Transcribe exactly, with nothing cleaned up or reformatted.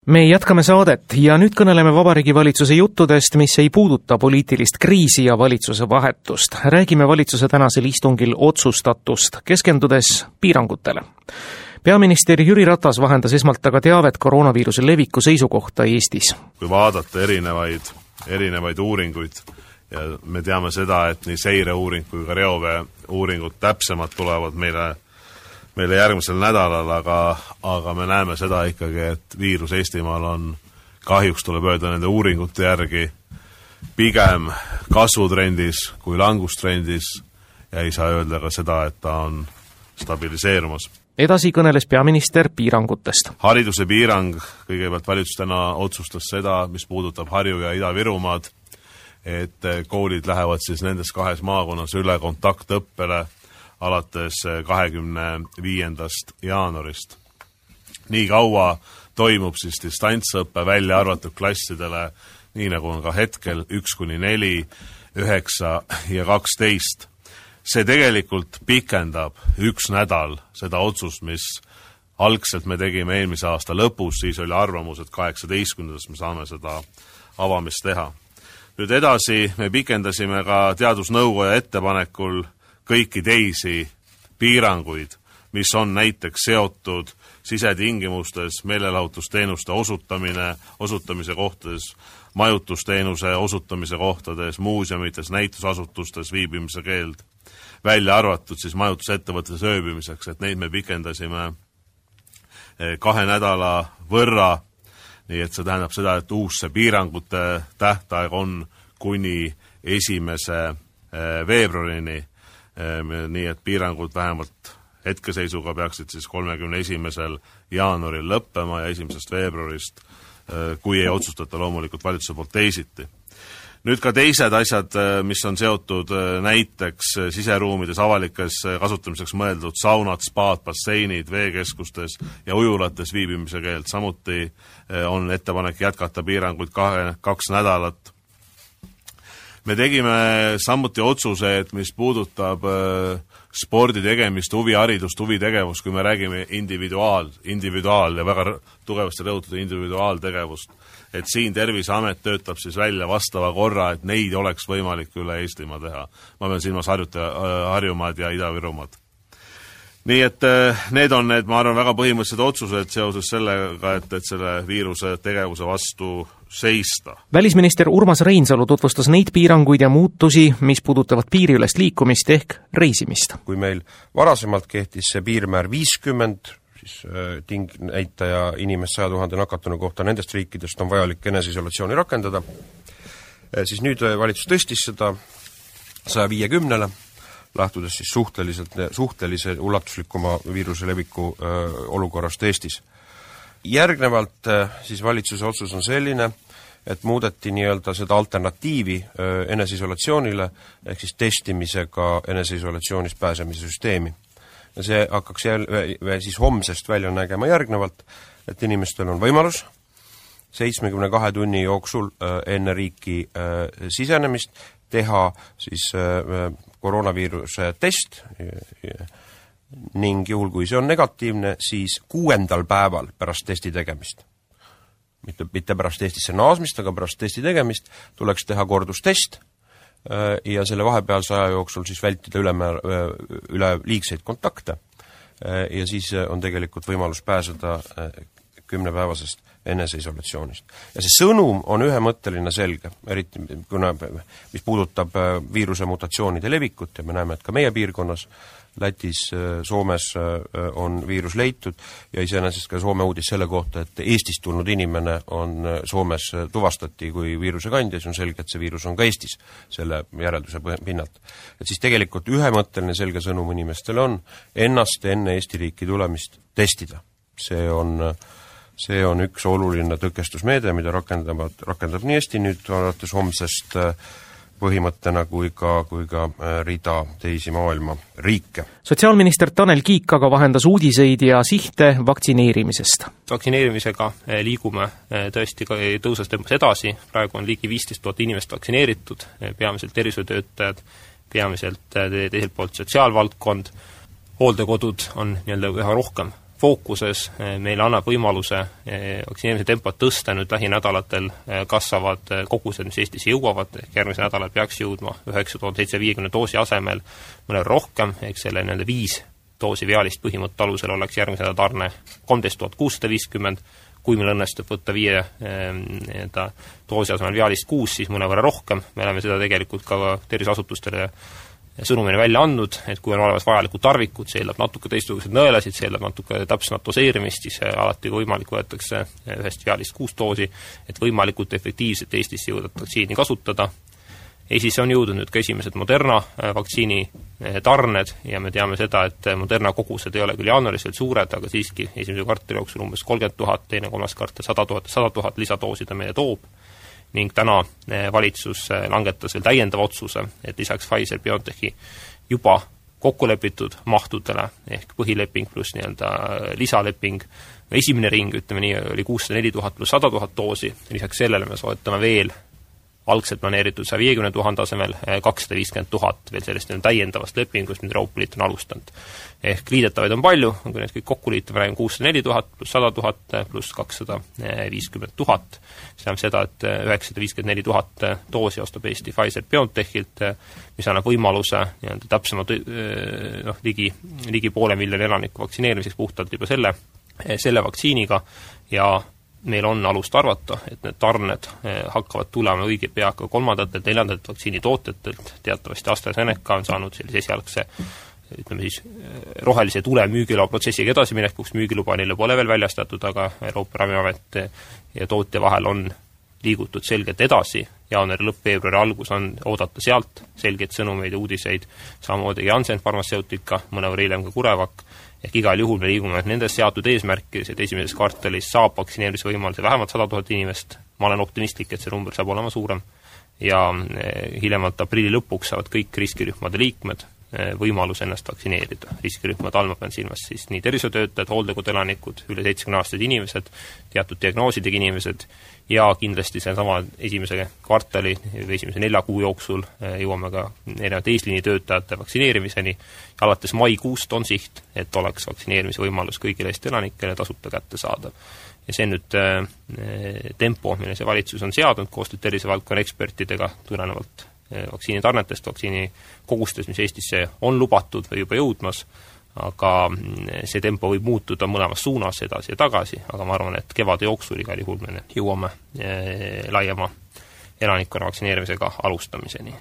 Me jätkame saadet ja nüüd kõneleme Vabariigi Valitsuse juttudest, mis ei puuduta poliitilist kriisi ja valitsuse vahetust. Räägime valitsuse tänasel istungil otsustatust, keskendudes piirangutele. Peaminister Jüri Ratas vahendas esmalt aga teavet koroonaviiruse leviku seisukohta Eestis. Kui vaadata erinevaid, erinevaid uuringuid ja me teame seda, et nii seireuuring kui ka reovee uuringud täpsemalt tulevad meile meile järgmisel nädalal, aga, aga me näeme seda ikkagi, et viirus Eestimaal on kahjuks tuleb öelda nende uuringute järgi pigem kasvutrendis kui langustrendis ja ei saa öelda ka seda, et ta on stabiliseerumas. Edasi kõneles peaminister piirangutest. Hariduse piirang, kõigepealt valitsus täna otsustas seda, mis puudutab Harju- ja Ida-Virumaad, et koolid lähevad siis nendes kahes maakonnas üle kontaktõppele alates kahekümne viiendast jaanuarist. Nii kaua toimub siis distantsõppe välja arvatud klassidele, nii nagu on ka hetkel üks kuni neli, üheksa ja kaksteist. See tegelikult pikendab üks nädal seda otsust, mis algselt me tegime eelmise aasta lõpus, siis oli arvamus, et kaheksateistkümnendast me saame seda avamist teha. Nüüd edasi me pikendasime ka teadusnõukoja ettepanekul kõiki teisi piiranguid, mis on näiteks seotud sisetingimustes, meelelahutusteenuste osutamine, osutamise kohtades, majutusteenuse osutamise kohtades, muuseumites, näitusasutustes viibimise keeld, välja arvatud siis majutusettevõttes ööbimiseks, et neid me pikendasime kahe nädala võrra, nii et see tähendab seda, et uus see piirangute tähtaeg on kuni esimese veebruarini, nii et piirangud vähemalt hetkeseisuga peaksid siis kolmekümne esimesel jaanuaril lõppema ja esimesest veebruarist, kui ei otsustata loomulikult valitsuse poolt teisiti. Nüüd ka teised asjad, mis on seotud näiteks siseruumides avalikes kasutamiseks mõeldud saunad, spaad, basseinid, veekeskustes ja ujulates viibimise keeld. Samuti on ettepanek jätkata piiranguid kahe, kaks nädalat. Me tegime samuti otsuse, et mis puudutab spordi tegemist, huviharidust, huvitegevust, kui me räägime individuaal, individuaal ja väga tugevasti rõhutada individuaaltegevust, et siin Terviseamet töötab siis välja vastava korra, et neid oleks võimalik üle Eestimaa teha. Ma pean silmas Harjuta, Harjumaad ja Ida-Virumaad. Nii et need on need, ma arvan, väga põhimõttelised otsused seoses sellega, et, et selle viiruse tegevuse vastu seista. Välisminister Urmas Reinsalu tutvustas neid piiranguid ja muutusi, mis puudutavad piiriülest liikumist ehk reisimist. Kui meil varasemalt kehtis see piirmäär viiskümmend, siis ting näitaja inimest saja tuhande nakatunu kohta nendest riikidest on vajalik eneseisolatsiooni rakendada, siis nüüd valitsus tõstis seda saja viiekümnele, lähtudes siis suhteliselt, suhtelise ulatuslikuma viiruse leviku öö, olukorrast Eestis. Järgnevalt siis valitsuse otsus on selline, et muudeti nii-öelda seda alternatiivi öö, eneseisolatsioonile, ehk siis testimisega eneseisolatsioonist pääsemise süsteemi. Ja see hakkaks jälle, siis homsest välja nägema järgnevalt, et inimestel on võimalus seitsmekümne kahe tunni jooksul öö, enne riiki öö, sisenemist teha siis öö, koroonaviiruse test ning juhul, kui see on negatiivne, siis kuuendal päeval pärast testi tegemist, mitte, mitte pärast Eestisse naasmist, aga pärast testi tegemist, tuleks teha kordustest ja selle vahepealse aja jooksul siis vältida ülemäär, üle liigseid kontakte ja siis on tegelikult võimalus pääseda kümnepäevasest eneseisolatsioonist. Ja see sõnum on ühemõtteline selge, eriti kuna, mis puudutab viiruse mutatsioonide levikut ja me näeme, et ka meie piirkonnas, Lätis, Soomes on viirus leitud ja iseenesest ka Soome uudis selle kohta, et Eestist tulnud inimene on Soomes tuvastati kui viiruse kandja, siis on selge, et see viirus on ka Eestis selle järelduse pinnalt. Et siis tegelikult ühemõtteline selge sõnum inimestele on ennast enne Eesti riiki tulemist testida. See on See on üks oluline tõkestusmeede, mida rakendab, rakendab nii Eesti nüüd alates homsest põhimõttena kui ka, kui ka rida teisi maailma riike. Sotsiaalminister Tanel Kiik aga vahendas uudiseid ja sihte vaktsineerimisest. Vaktsineerimisega liigume tõesti tõusas tempos edasi. Praegu on ligi viisteist tuhat inimest vaktsineeritud, peamiselt tervishoiutöötajad, peamiselt teiselt poolt sotsiaalvaldkond. Hooldekodud on nii-öelda üha rohkem fookuses, meile annab võimaluse vaktsineerimise tempot tõsta, nüüd lähinädalatel kasvavad kogused, mis Eestisse jõuavad, ehk järgmise nädalal peaks jõudma üheksa tuhat seitsesada viiekümne doosi asemel mõne rohkem, ehk selle nende viis doosi vialist põhimõtte alusel oleks järgmise nädala tarne kolmteist tuhat kuussada viiskümmend, kui meil õnnestub võtta viie eh, doosi asemel vialist kuus, siis mõnevõrra rohkem, me oleme seda tegelikult ka terviseasutustele sõnumina välja andnud, et kui on olemas vajalikud tarvikud, see eeldab natuke teistsuguseid nõelasid, see eeldab natuke täpsemat doseerimist, siis alati võimalik võetakse ühest vialist kuus doosi, et võimalikult efektiivselt Eestisse jõuda vaktsiini kasutada. Eestisse on jõudnud nüüd ka esimesed Moderna vaktsiini tarned ja me teame seda, et Moderna kogused ei ole küll jaanuaris veel suured, aga siiski esimese kvartali jooksul umbes kolmkümmend tuhat, teine kolmas kvartal sada tuhat, sada tuhat lisadoosi ta meile toob. Ning täna valitsus langetas veel täiendava otsuse, et lisaks Pfizer-BioNTechi juba kokkulepitud mahtudele ehk põhileping pluss nii-öelda lisaleping, esimene ring, ütleme nii, oli kuussada neli tuhat pluss sada tuhat doosi, lisaks sellele me soetame veel algselt planeeritud saja viiekümne tuhande asemel kakssada viiskümmend tuhat veel sellest täiendavast lepingust, mida Euroopa Liit on alustanud. Ehk liidetavaid on palju, kui need kõik kokku liitame, räägime kuussada neli tuhat pluss sada tuhat pluss kakssada viiskümmend tuhat. See tähendab seda, et üheksasada viiskümmend neli tuhat doosi ostab Eesti Pfizer-BioNTechilt, mis annab võimaluse nii-öelda täpsemalt noh, ligi, ligi poole miljoni elaniku vaktsineerimiseks puhtalt juba selle, selle vaktsiiniga ja meil on alust arvata, et need tarned hakkavad tulema õige pea ka kolmandatelt, neljandatelt vaktsiinitootjatelt. Teatavasti AstraZeneca on saanud sellise esialgse, ütleme siis, rohelise tule müügiloa protsessiga edasiminekuks, müügiluba neile pole veel väljastatud, aga Euroopa Ravimiamet ja tootja vahel on liigutud selgelt edasi. Jaanuari lõpp, veebruari algus on oodata sealt selgeid sõnumeid ja uudiseid, samamoodi Janssen Pharmaceutica, mõnevõrra hiljem ka Kurevak. Ehk igal juhul me liigume nendes seatud eesmärkides, et esimeses kvartalis saab vaktsineerimise võimaluse vähemalt sada tuhat inimest. Ma olen optimistlik, et see number saab olema suurem. Ja hiljemalt aprilli lõpuks saavad kõik riskirühmade liikmed võimalus ennast vaktsineerida. Riskirühmad almab on silmas siis nii tervishoiutöötajad, hooldekoduelanikud, üle seitsmekümne aastased inimesed, teatud diagnoosidega inimesed ja kindlasti see sama esimese kvartali või esimese nelja kuu jooksul jõuame ka erinevate eesliini töötajate vaktsineerimiseni. Alates maikuust on siht, et oleks vaktsineerimise võimalus kõigile Eesti elanikele tasuta kätte saada. Ja see on nüüd äh, tempo, mille see valitsus on seadnud koostööd tervisevaldkonna ekspertidega tulenevalt vaktsiinitarnetest, vaktsiini kogustes, mis Eestisse on lubatud või juba jõudmas, aga see tempo võib muutuda mõlemas suunas edasi ja tagasi, aga ma arvan, et kevade jooksul igal juhul me jõuame laiema elanikkonna vaktsineerimisega alustamiseni.